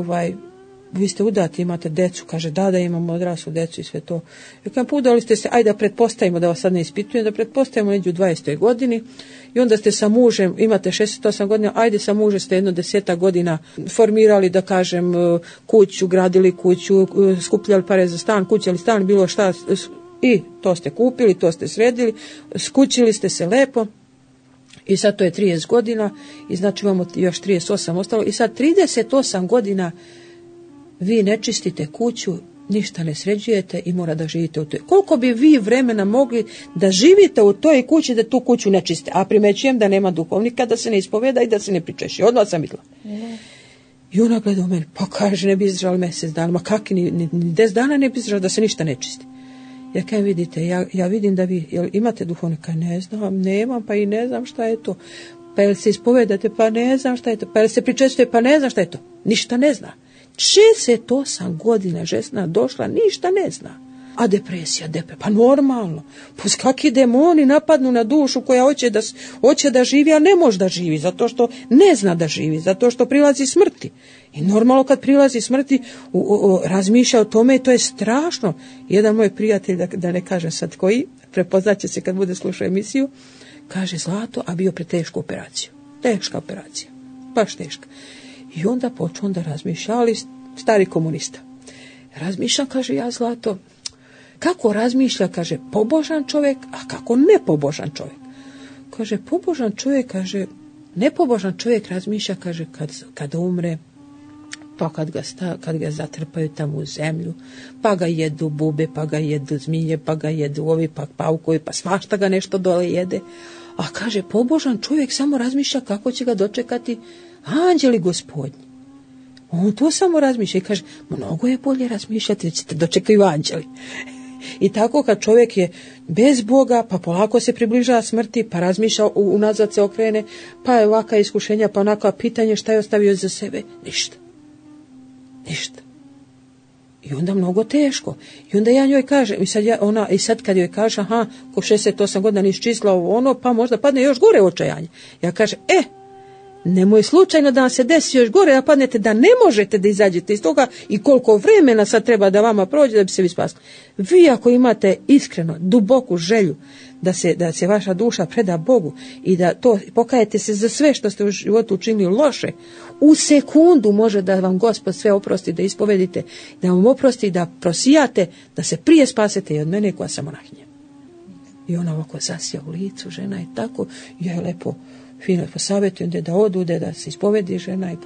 vi ste udati, imate decu, kaže, da imamo odraslu decu i sve to. Ja kažem, pa udali ste se, ajde da pretpostavimo, da vas sad ne ispitujem, da pretpostavimo neđu u 20. godini i onda ste sa mužem, imate 68 godina, ajde sa mužem ste 10 godina formirali, da kažem, kuću, gradili kuću, skupljali pare za stan, kućali stan, bilo šta, i to ste kupili, to ste sredili, skućili ste se lepo. I sad to je 30 godina i znači imamo još 38 ostalo i sad 38 godina vi ne čistite kuću, ništa ne sređujete i mora da živite u toj. Koliko bi vi vremena mogli da živite u toj kući, da tu kuću ne čiste? A primećujem da nema duhovnika, da se ne ispoveda i da se ne pričeši. Odmah sam vidjela. I ona gleda u mene, pa kaže, ne bi izdržala mjesec dana, ma kakvi, ni 10 dana ne bi izdržala da se ništa ne čisti. Ja kaj vidite, ja vidim da vi, jel imate duhovnika? Ne znam, nemam, pa i ne znam šta je to. Pa jel se ispovedate? Pa ne znam šta je to. Pa jel se pričestujete? Pa ne znam šta je to. Ništa ne zna. 68 godina žena došla, ništa ne zna. A depresija, pa normalno. Pa kakvi demoni napadnu na dušu koja hoće da živi, a ne može da živi, zato što ne zna da živi, zato što prilazi smrti. I normalno kad prilazi smrti, razmišlja o tome i to je strašno. Jedan moj prijatelj, da ne kažem sad koji, prepoznaće se kad bude slušao emisiju, kaže, Zlato, a bio pre tešku operaciju. Teška operacija, baš teška. I onda počeo da razmišlja, ali stari komunista. Razmišljam, kaže, ja, Zlato, kako razmišlja, kaže, pobožan čovjek, a kako nepobožan čovjek. Kaže, pobožan čovjek, kaže, nepobožan čovjek razmišlja, kaže, kad umre, pa kad ga zatrpaju tamo u zemlju, pa ga jedu bube, pa ga jedu zmije, pa ga jedu ovi, pa paukovi, pa svašta ga nešto dole jede. A kaže, pobožan čovjek samo razmišlja kako će ga dočekati anđeli gospodnji. On to samo razmišlja i kaže, mnogo je bolje razmišljati, da ćete dočekaju anđeli. I tako kad čovjek je bez Boga, pa polako se približava smrti, pa razmišlja, unazad se okrene, pa je ovaka iskušenja, pa onaka pitanje šta je ostavio za sebe, ništa. I onda mnogo teško. I onda ja njoj kažem, i sad kad joj kaže, aha, ko 68 godina nisi čistila ono, pa možda padne još gore očajanje. Ja kažem, nemoj slučajno da vam se desi još gore, da padnete, da ne možete da izađete iz toga i koliko vremena sad treba da vama prođe da bi se vi spasili. Vi ako imate iskreno, duboku želju da se vaša duša preda Bogu i da to pokajete se za sve što ste u životu učinili loše, u sekundu može da vam Gospod sve oprosti, da ispovedite, da vam oprosti, da prosijate, da se prije spasete i od mene koja sam monahinja. I ona ovako zasija u licu, žena je tako, ja je lepo fino posavjetujem da odude, da se ispovedi žena i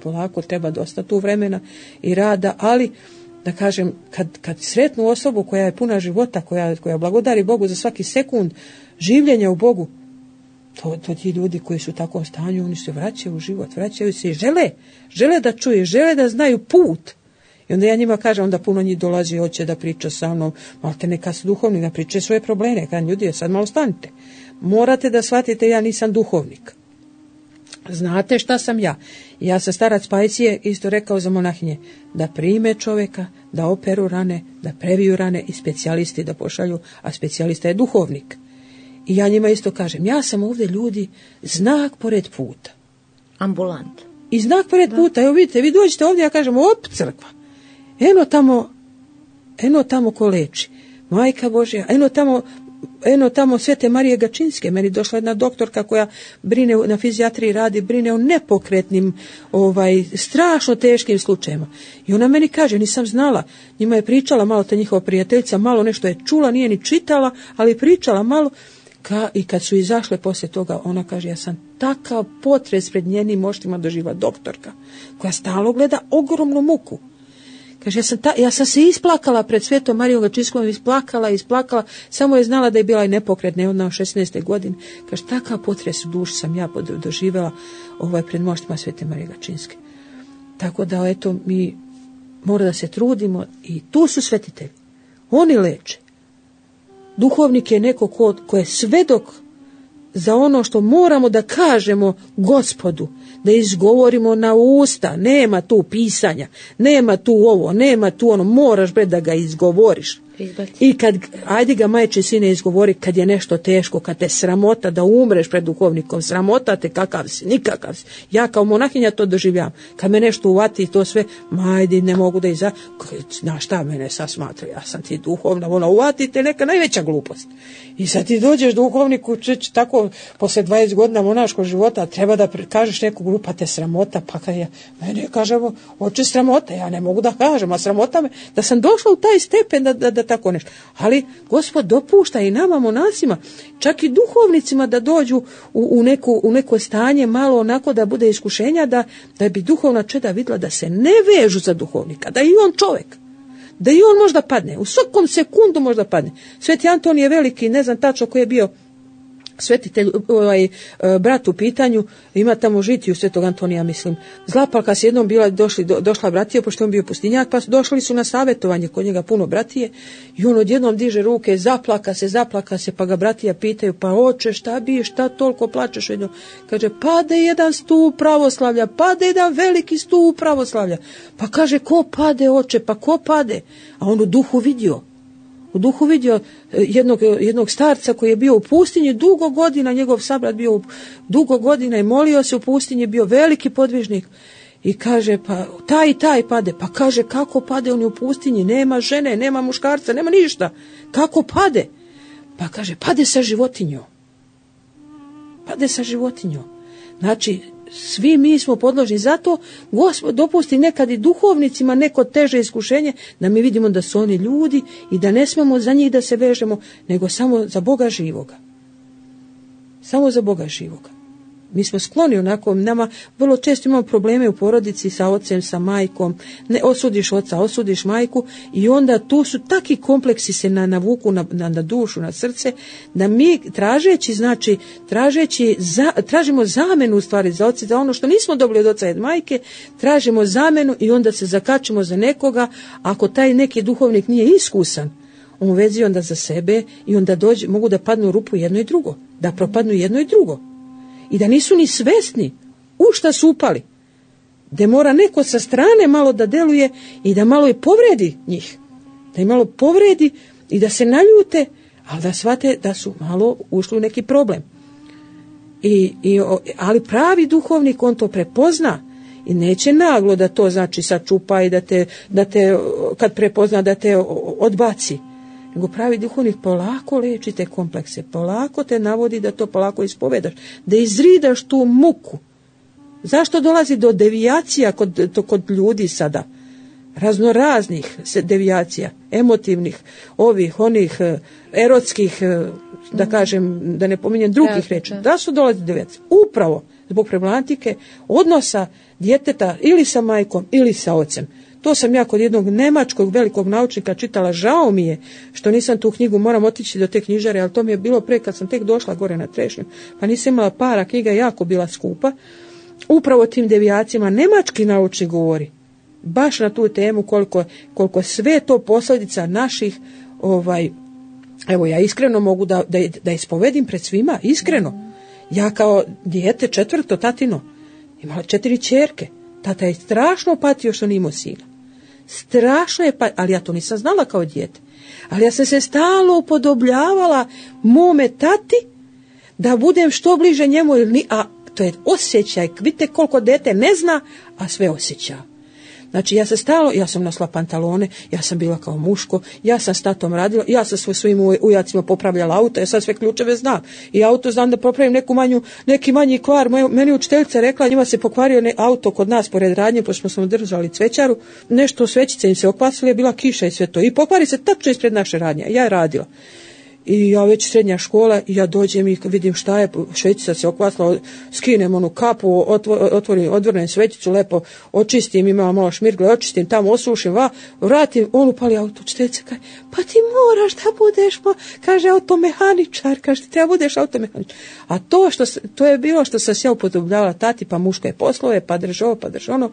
polako treba dosta tu vremena i rada, ali da kažem, kad sretnu osobu koja je puna života, koja blagodari Bogu za svaki sekund življenja u Bogu, to ti ljudi koji su u takvom stanju, oni se vraćaju u život, vraćaju se i žele da čuje, žele da znaju put. I onda ja njima kažem, onda puno njih dolazi, hoće da priča sa mnom, malte neka su duhovni, da priče svoje probleme, kažem, ljudi, sad malo stanite. Morate da shvatite, ja nisam duhovnik. Znate šta sam ja? Ja sam starac Pajcije isto rekao za monahinje, da prime čovjeka, da operu rane, da previju rane i specijalisti da pošalju, a specijalista je duhovnik. I ja njima isto kažem, ja sam ovdje ljudi znak pored puta. Ambulant. I znak pored puta, evo vidite, vi dođete ovdje, ja kažem, crkva. Eno tamo ko leči. Majka Božja, eno tamo eno tamo Svete Marije Gačinske, meni došla jedna doktorka koja brine na fizijatriji radi, brine o nepokretnim, strašno teškim slučajevima. I ona meni kaže, nisam znala, njima je pričala malo ta njihova prijateljica, malo nešto je čula, nije ni čitala, ali pričala malo. I kad su izašle poslije toga, ona kaže, ja sam takav potres pred njenim očima doživjela, doktorka, koja stalno gleda ogromnu muku. Kaže, ja sam se isplakala pred Svetom Marijom Gačinskom, isplakala, samo je znala da je bila i nepokretna, ona u 16. godini. Kaže, takav potres u duši sam ja doživjela pred moštima Svete Marije Gačinske. Tako da, eto, mi mora da se trudimo i tu su svetitelji. Oni leče. Duhovnik je neko ko je svedok za ono što moramo da kažemo Gospodu, da izgovorimo na usta, nema tu pisanja, nema tu ovo, nema tu ono, moraš da ga izgovoriš. I kad, ajde ga majče sine izgovori, kad je nešto teško, kad te sramota da umreš pred duhovnikom, sramota te kakav si, nikakav si. Ja kao monahinja to doživljavam. Kad me nešto uvati to sve, majde, ne mogu da na šta mene sad smatra, ja sam ti duhovna, uvati te neka najveća glupost. I sad ti dođeš duhovniku, tako, posle 20 godina monaškog života, treba da kažeš neku glupa te sramota, pa kad mene kažemo, oče sramota, ja ne mogu da kažem, a sramota me, da sam došla u taj stepen da tako nešto. Ali Gospod dopušta i nama monasima, čak i duhovnicima da dođu u neko stanje malo onako da bude iskušenja, da bi duhovna čeda vidjela da se ne vežu za duhovnika, da i on čovjek, da i on možda padne, u svakom sekundu možda padne. Sveti Anton je veliki, ne znam tačno koji je bio svetitelj, brat u pitanju, ima tamo žitiju Svetog Antonija, mislim. Zlapalka se jednom došla bratija, pošto on bio pustinjak, pa došli su na savjetovanje kod njega puno bratije i on odjednom diže ruke, zaplaka se, pa ga bratija pitaju, pa oče, šta toliko plačeš? Kaže, pade jedan stup pravoslavlja, pade jedan veliki stup pravoslavlja. Pa kaže, ko pade, oče, pa ko pade? A on u duhu vidio jednog starca koji je bio u pustinji dugo godina, njegov sabrat bio dugo godina i molio se u pustinji, bio veliki podvižnik i kaže, pa taj pade, pa kaže, kako pade, on je u pustinji, nema žene, nema muškarca, nema ništa, kako pade? Pa kaže, pade sa životinjom. Znači, svi mi smo podložni, zato Gospod dopusti nekad i duhovnicima neko teže iskušenje, da mi vidimo da su oni ljudi i da ne smemo za njih da se vežemo, nego samo za Boga živoga. Samo za Boga živoga. Mi smo skloni onako, nama vrlo često imamo probleme u porodici sa ocem, sa majkom, ne osudiš oca, osudiš majku i onda tu su taki kompleksi se navuku na dušu, na srce, da mi tražimo zamenu u stvari za oca, za ono što nismo dobili od oca i od majke, tražimo zamenu i onda se zakačimo za nekoga, ako taj neki duhovnik nije iskusan, on vezi onda za sebe i onda mogu da padnu u rupu jedno i drugo, da propadnu jedno i drugo. I da nisu ni svesni u šta su upali. Da mora neko sa strane malo da deluje i da malo i povredi njih. Da im malo povredi i da se naljute, ali da shvate da su malo ušli u neki problem. Ali pravi duhovnik, on to prepozna i neće naglo da to znači sačupa i da te kad prepozna da te odbaci. Nego pravi duhovnik polako leči te komplekse, polako te navodi da to polako ispovedaš, da izridaš tu muku. Zašto dolazi do devijacija kod ljudi sada? Raznoraznih devijacija, emotivnih, onih, erotskih, da kažem, da ne pominjem drugih reči. Da su dolazi devijacija? Upravo zbog problematike odnosa djeteta ili sa majkom ili sa ocem. To sam ja kod jednog nemačkog velikog naučnika čitala, žao mi je što nisam tu knjigu, moram otići do te knjižare, ali to mi je bilo pre kad sam tek došla gore na Trešnju, pa nisam imala para, knjiga je jako bila skupa. Upravo tim devijacijama nemački naučnik govori, baš na tu temu koliko sve to posljedica naših, evo ja iskreno mogu da ispovedim pred svima, iskreno. Ja kao dijete 4. tatino, imala 4 ćerke. Tata je strašno patio što nije imao sina. Strašno je patio, ali ja to nisam znala kao dijete. Ali ja sam se stalno upodobljavala mome tati da budem što bliže njemu, a to je osjećaj. Vidite koliko dete ne zna, a sve osjeća. Znači ja sam nosila pantalone, ja sam bila kao muško, ja sam s tatom radila, ja sam svojim ujacima popravljala auto, ja sad sve ključeve znam. I auto znam da popravim neki manji kvar. Meni učiteljica rekla, njima se pokvario auto kod nas pored radnje, pošto smo držali cvećaru, nešto svećice im se okvasile, je bila kiša i sve to. I pokvari se tačno ispred naše radnje. Ja je radila. I ja već srednja škola i ja dođem i vidim šta je, svećica se okvasla, skinem onu kapu, odvrnem svećicu, lepo očistim, imam malo šmirgle, očistim tamo, osušim, vratim, on upali auto, učiteljica kaže, pa ti moraš da budeš, kaže, automehaničar, kaže, ti treba budeš automehaničar. A to je bilo što sam se ja upodobljavala tati, pa muške poslove, pa drž ovo, pa drž ono.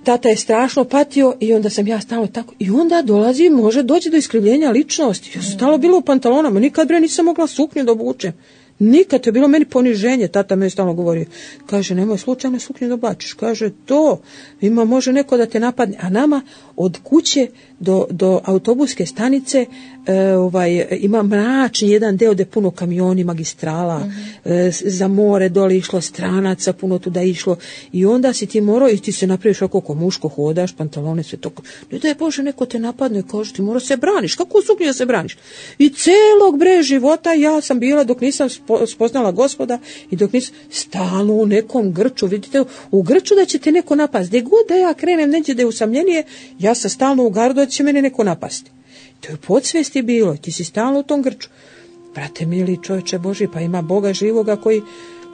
Tata je strašno patio i onda sam ja stalno tako. I onda može doći do iskrivljenja ličnosti. Ja sam stalno bila u pantalonama. Nikad nisam mogla suknju da obučem. Nikad, to je bilo meni poniženje. Tata me je stalno govorio. Kaže, nemoj slučajno suknju da oblačiš. Kaže, može neko da te napadne. A nama od kuće do autobuske stanice ima mračni jedan deo gde puno kamioni, magistrala, za more dole išlo stranaca, puno tuda išlo. I onda si ti morao, i ti se napraviš ako muško hodaš, pantalone, sve to. Ne da je Bože, neko te napadne, kaže, ti mora se braniš. Kako suknju da se braniš? I celog života ja sam bila, dok nisam spoznala Gospoda i dok nisam stalno u nekom grču, vidite, u grču da će te neko napasti. Gde god da ja krenem, neće da je usamljenije, ja sam stalno u gardu da će mene neko napasti. To je podsvesti bilo, ti si stalno u tom grču. Brate mili, čovječe Boži, pa ima Boga živoga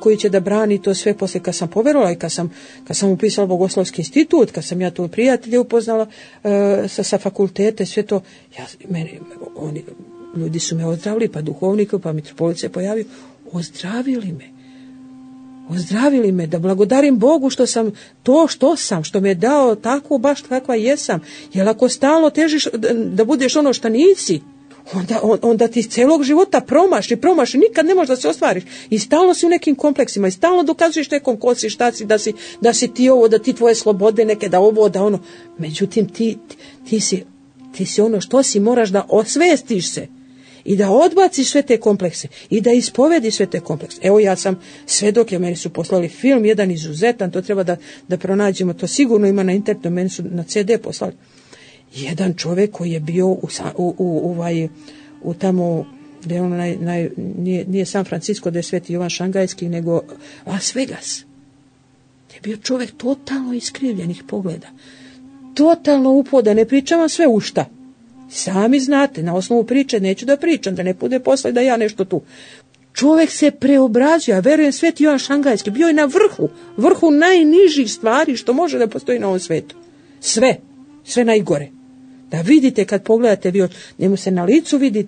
koji će da brani to sve. Posle kad sam poverovala i kad sam upisala Bogoslovski institut, kad sam ja tu prijatelje upoznala sa fakultete, sve to, ljudi su me ozdravili, pa duhovnika, pa mitropolit se pojavio, ozdravili me, da благодарим Bogu što sam što me je dao tako baš kakva jesam. Jer ako stalno težiš da budeš ono što nisi, onda ti celog života promaš i nikad ne možeš da se ostvariš. I stalno si u nekim kompleksima i stalno dokazuješ nekom ko si, šta si, da si ti ovo, da ti tvoje slobode neke, da ovo, da ono. Međutim, ti si ono što si, moraš da osvestiš se i da odbaciš sve te komplekse i da ispovediš sve te komplekse. Evo, ja sam svedok, meni su poslali film, jedan izuzetan, to treba da pronađemo, to sigurno ima na internetu, meni su na CD poslali. Jedan čovjek koji je bio u tamo, gdje ono nije San Francisco, gdje je Sveti Jovan Šangajski, nego Las Vegas. Je bio čovjek totalno iskrivljenih pogleda. Totalno upoda, ne pričam vam sve u šta. Sami znate, na osnovu priče neću da pričam, da ne bude posle da ja nešto tu. Čovjek se preobrazio, ja verujem Sveti Jovan Šangajski, bio je na vrhu najnižih stvari što može da postoji na ovom svetu. Sve najgore. Da vidite kad pogledate, njemu se na licu vidi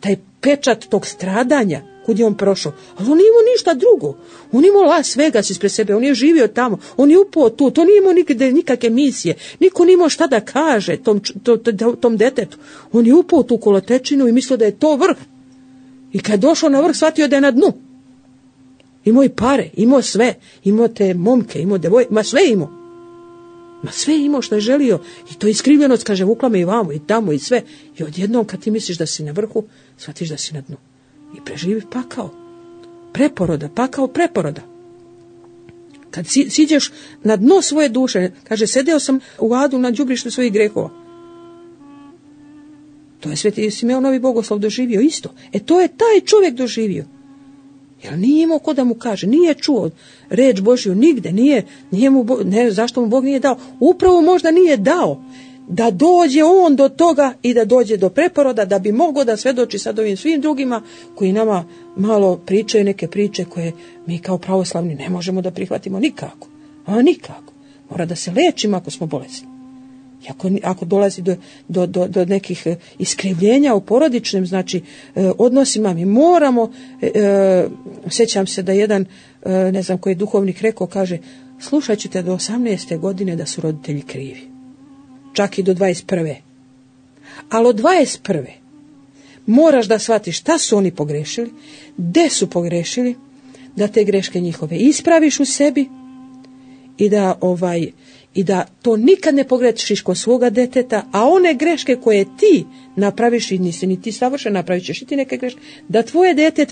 taj pečat tog stradanja, kud je on prošao. Ali on nije imao ništa drugo. On imao Las Vegas ispred sebe, on je živio tamo, on je upao tu, to nije imao nikakve misije. Niko nije imao šta da kaže tom detetu. On je upao tu kolotečinu i mislio da je to vrh. I kad je došao na vrh, shvatio da je na dnu. Imao i pare, imao sve, imao te momke, imao devojke, sve imao. Sve imao što je želio i to iskrivljenost, kaže, vukla me i vamo i tamo i sve. I odjednom kad ti misliš da si na vrhu, shvatiš da si na dnu. I preživi pakao. Preporoda. Kad siđeš na dno svoje duše, kaže, sedeo sam u adu na đubrištu svojih grehova. To je Sveti Simeon Novi Bogoslov doživio isto. To je taj čovjek doživio. Jer nije imao ko da mu kaže, nije čuo reč Božju nigde, zašto mu Bog nije dao? Upravo možda nije dao da dođe on do toga i da dođe do preporoda, da bi mogao da svedoči sad ovim svim drugima koji nama malo pričaju neke priče koje mi kao pravoslavni ne možemo da prihvatimo nikako. Nikako. Mora da se lečimo ako smo bolesni. I ako dolazi do nekih iskrivljenja u porodičnim, znači, odnosima, mi moramo, sjećam se da jedan, ne znam koji je duhovnik rekao, kaže, slušat ćete do 18. godine da su roditelji krivi. Čak i do 21. Ali od 21. moraš da shvatiš šta su oni pogrešili, gde su pogrešili, da te greške njihove ispraviš u sebi i da to nikad ne pogrešiš kod svoga deteta, a one greške koje ti napraviš i nisi ni ti savršen, napravit ćeš i ti neke greške, da tvoje dete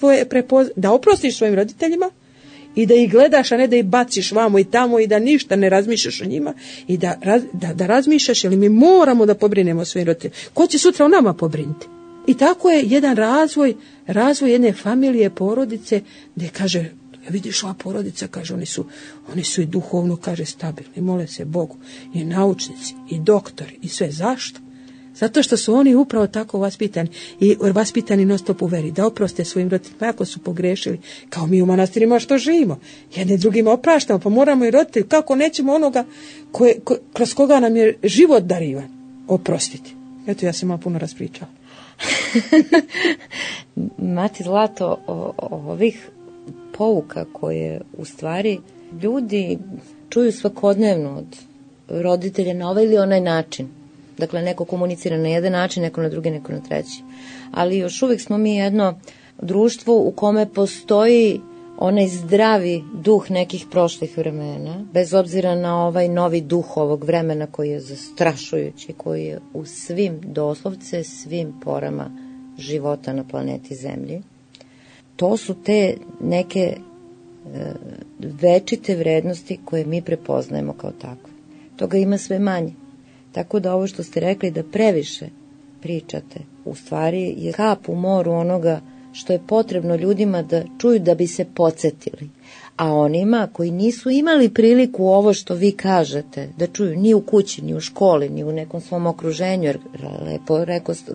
da oprostiš svojim roditeljima i da ih gledaš, a ne da ih baciš vamo i tamo i da ništa ne razmišljaš o njima i da razmišljaš, jer mi moramo da pobrinemo svojim roditeljima. Ko će sutra o nama pobrinuti? I tako je jedan razvoj jedne familije, porodice, gdje kaže, vidiš ova porodica, kaže, oni su i duhovno, kaže, stabilni, mole se Bogu, i naučnici, i doktori, i sve. Zašto? Zato što su oni upravo tako vaspitani i vaspitani non stop u veri, da oproste svojim roditeljima ako su pogrešili, kao mi u manastirima što živimo. Jedne drugima opraštamo, pa moramo i roditelji, kako nećemo onoga kroz koga nam je život darivan, oprostiti. Eto, ja sam malo puno raspričala. Mati Zlato, ovih pouka koje u stvari ljudi čuju svakodnevno od roditelja na ovaj ili onaj način. Dakle, neko komunicira na jedan način, neko na drugi, neko na treći. Ali još uvijek smo mi jedno društvo u kome postoji onaj zdravi duh nekih prošlih vremena, bez obzira na ovaj novi duh ovog vremena koji je zastrašujući, koji je u svim, doslovce svim porama života na planeti Zemlji. To su te neke večite vrednosti koje mi prepoznajemo kao takve. Toga ima sve manje. Tako da ovo što ste rekli da previše pričate, u stvari je kap u moru onoga što je potrebno ljudima da čuju da bi se podsjetili. A onima koji nisu imali priliku ovo što vi kažete, da čuju ni u kući, ni u školi, ni u nekom svom okruženju, jer lepo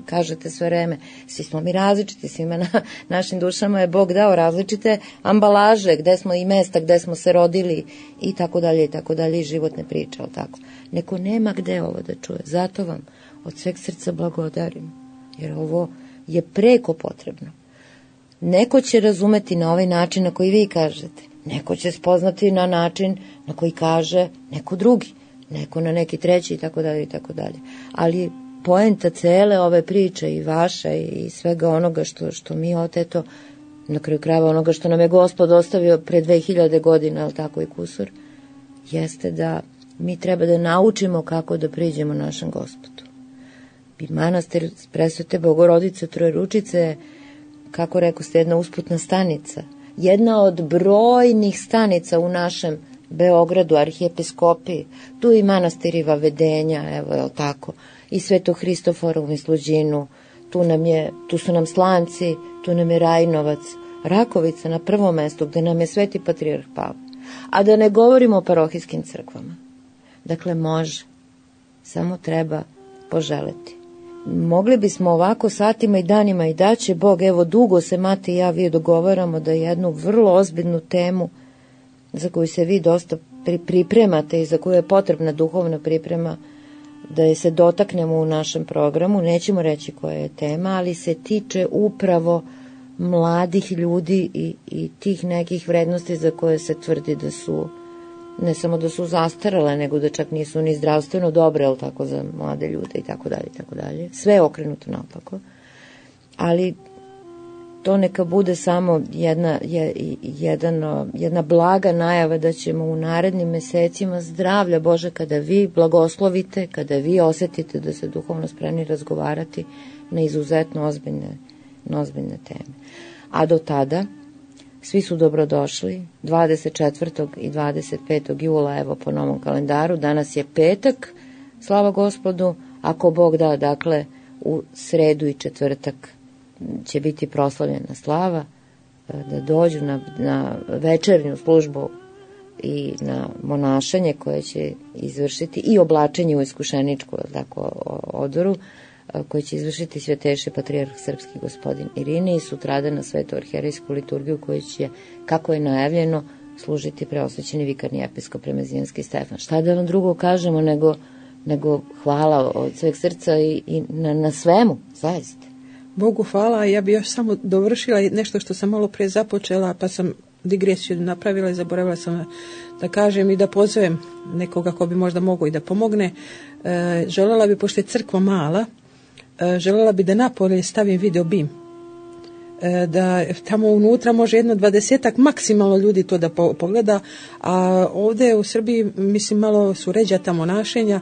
kažete sve vreme, svi smo mi različiti, svima našim dušama je Bog dao različite ambalaže, gde smo i mesta, gde smo se rodili i tako dalje, i životne priče, ali tako. Neko nema gde ovo da čuje, zato vam od sveg srca blagodarim, jer ovo je preko potrebno. Neko će razumeti na ovaj način na koji vi kažete, neko će spoznati na način na koji kaže neko drugi, neko na neki treći i tako dalje. Ali poenta cele ove priče i vaša i svega onoga što mi oteto, na kraju krajeva onoga što nam je Gospod ostavio pre 2000 godina, ali tako i kusur, jeste da mi treba da naučimo kako da priđemo našem Gospodu. I manastir Presvete Bogorodice Trojeručice, kako rekao ste, jedna usputna stanica, jedna od brojnih stanica u našem Beogradu, arhijepiskopiji, tu i manastiri Vavedenja, evo je tako, i Svetog Hristofora u Misluđinu, tu su nam Slanci, tu nam je Rajnovac, Rakovica na prvom mestu gde nam je Sveti Patrijarh Pavle. A da ne govorimo o parohijskim crkvama. Dakle, može, samo treba poželeti. Mogli bismo ovako satima i danima i da će Bog, evo dugo se Mate i ja vi dogovaramo da jednu vrlo ozbiljnu temu za koju se vi dosta pripremate i za koju je potrebna duhovna priprema, da je se dotaknemo u našem programu, nećemo reći koja je tema, ali se tiče upravo mladih ljudi i tih nekih vrednosti za koje se tvrdi da su, ne samo da su zastarale, nego da čak nisu ni zdravstveno dobre, ali tako za mlade ljude i tako dalje. Sve je okrenuto naopako. Ali to neka bude samo jedna blaga najava da ćemo u narednim mesecima zdravlja Bože, kada vi blagoslovite, kada vi osetite da se duhovno spremni razgovarati na izuzetno ozbiljne teme. A do tada svi su dobrodošli 24. i 25. jula, evo po novom kalendaru, danas je petak, slava Gospodu, ako Bog da, dakle, u sredu i četvrtak će biti proslavljena slava, da dođu na večernju službu i na monašanje koje će izvršiti i oblačenje u iskušeničku, tako, odoru, koji će izvršiti Svetejši Patrijarh Srpski gospodin Irine i sutrada na Svetu arhijerejsku liturgiju koji će, kako je najavljeno, služiti preosvećeni vikarni episkop Remezijanski Stefan. Šta da vam drugo kažemo nego hvala od sveg srca i na svemu, zaista. Bogu hvala, ja bi još samo dovršila nešto što sam malo pre započela, pa sam digresiju napravila i zaboravila sam da kažem i da pozovem nekoga ko bi možda mogao i da pomogne. Želela bi, pošto je crkva mala, želela bi da napolje stavim video bim. Da tamo unutra može 20 maksimalno ljudi to da pogleda, a ovdje u Srbiji, mislim, malo su ređata monašenja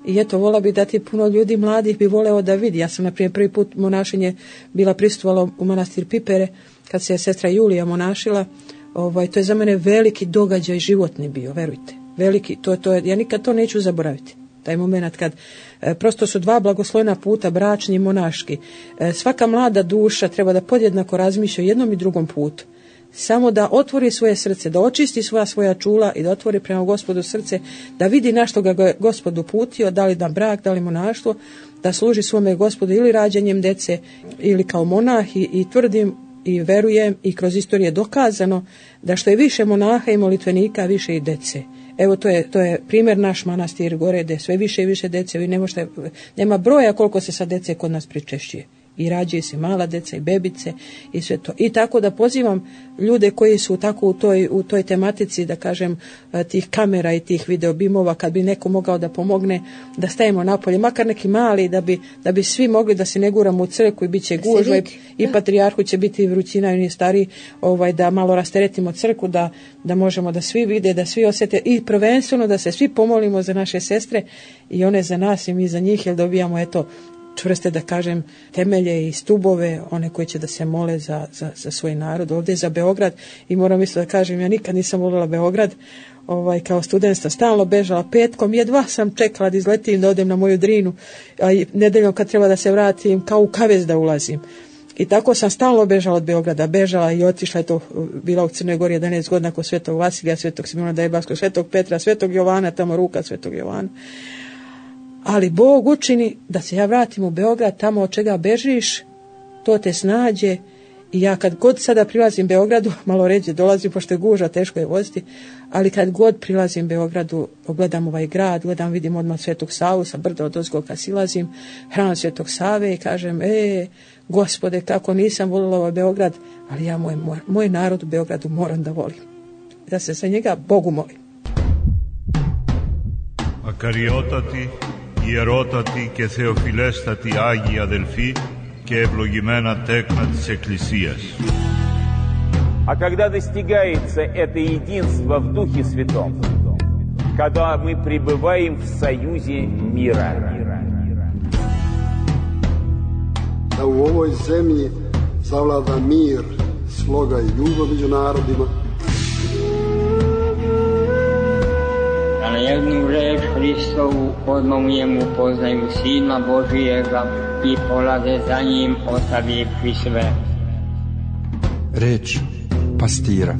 i eto, vola bi da ti puno ljudi mladih bi voleo da vidi. Ja sam, na primjer, prvi put monašenje bila prisustvovala u manastir Pipere, kad se sestra Julija monašila To je za mene veliki događaj životni bio, verujte. Veliki, ja nikad to neću zaboraviti. Taj moment kad prosto su dva blagoslovena puta, bračni i monaški. Svaka mlada duša treba da podjednako razmišlja o jednom i drugom putu. Samo da otvori svoje srce, da očisti svoja čula i da otvori prema Gospodu srce, da vidi na što ga Gospod uputio, da li na brak, da li monaštvo, da služi svome Gospodu ili rađanjem dece ili kao monah i tvrdim i verujem i kroz istoriju je dokazano da što je više monaha i molitvenika, više i dece. Evo to je primjer naš manastir gore, gdje sve više i više dece, vi nema broja koliko se sa dece kod nas pričešćuje. I rađaju se mala deca i bebice i sve to. I tako da pozivam ljude koji su tako u toj tematici, da kažem, tih kamera i tih videobimova, kad bi neko mogao da pomogne, da stavimo napolje, makar neki mali, da bi svi mogli da se ne guramo u crkvu i bit će gužva i patrijarhu će biti vrućina i stari, da malo rasteretimo crkvu, da možemo da svi vide, da svi osjete i prvenstveno da se svi pomolimo za naše sestre i one za nas i mi za njih, jer dobijamo čvrste, da kažem, temelje i stubove, one koji će da se mole za svoj narod. Ovdje za Beograd, i moram isto da kažem, ja nikad nisam voljela Beograd, kao student sam stalno bežala petkom, jedva sam čekala da izletim, da odem na moju Drinu, a nedeljom kad treba da se vratim, kao u kavez da ulazim. I tako sam stalno bežala od Beograda, bežala i otišla je bila u Crnoj Gori 11 godina kod Svetog Vasilija, Svetog Simona Dajbaskog, Svetog Petra, Svetog Jovana, tamo ruka Svetog Jovana. Ali Bog učini da se ja vratim u Beograd, tamo od čega bežiš, to te snađe. I ja kad god sada prilazim Beogradu, malo ređe dolazim, pošto je guža, teško je voziti, ali kad god prilazim Beogradu, gledam ovaj grad, vidim odmah Svetog Savu, sa brda od ozgo kad silazim, hram Svetog Save i kažem, Gospode, kako nisam volila ovaj Beograd, ali ja moj narod u Beogradu moram da volim. Da se sa njega Bogu molim. Ακαριότατοι, ιερότατοι και θεοφιλέστατοι Άγιοι αδελφοί και ευλογημένα τέκνα της Εκκλησίας. А когда достигается это единство в Духе Святом, когда мы пребываем в союзе мира. Da u ovoj zemlji zavlada mir, sloga i ljubav među narodima. Da na jednu reč Hristovu odmah u njemu poznaju Sina Božijega i polaze za njim ostavivši sve. Reč pastira.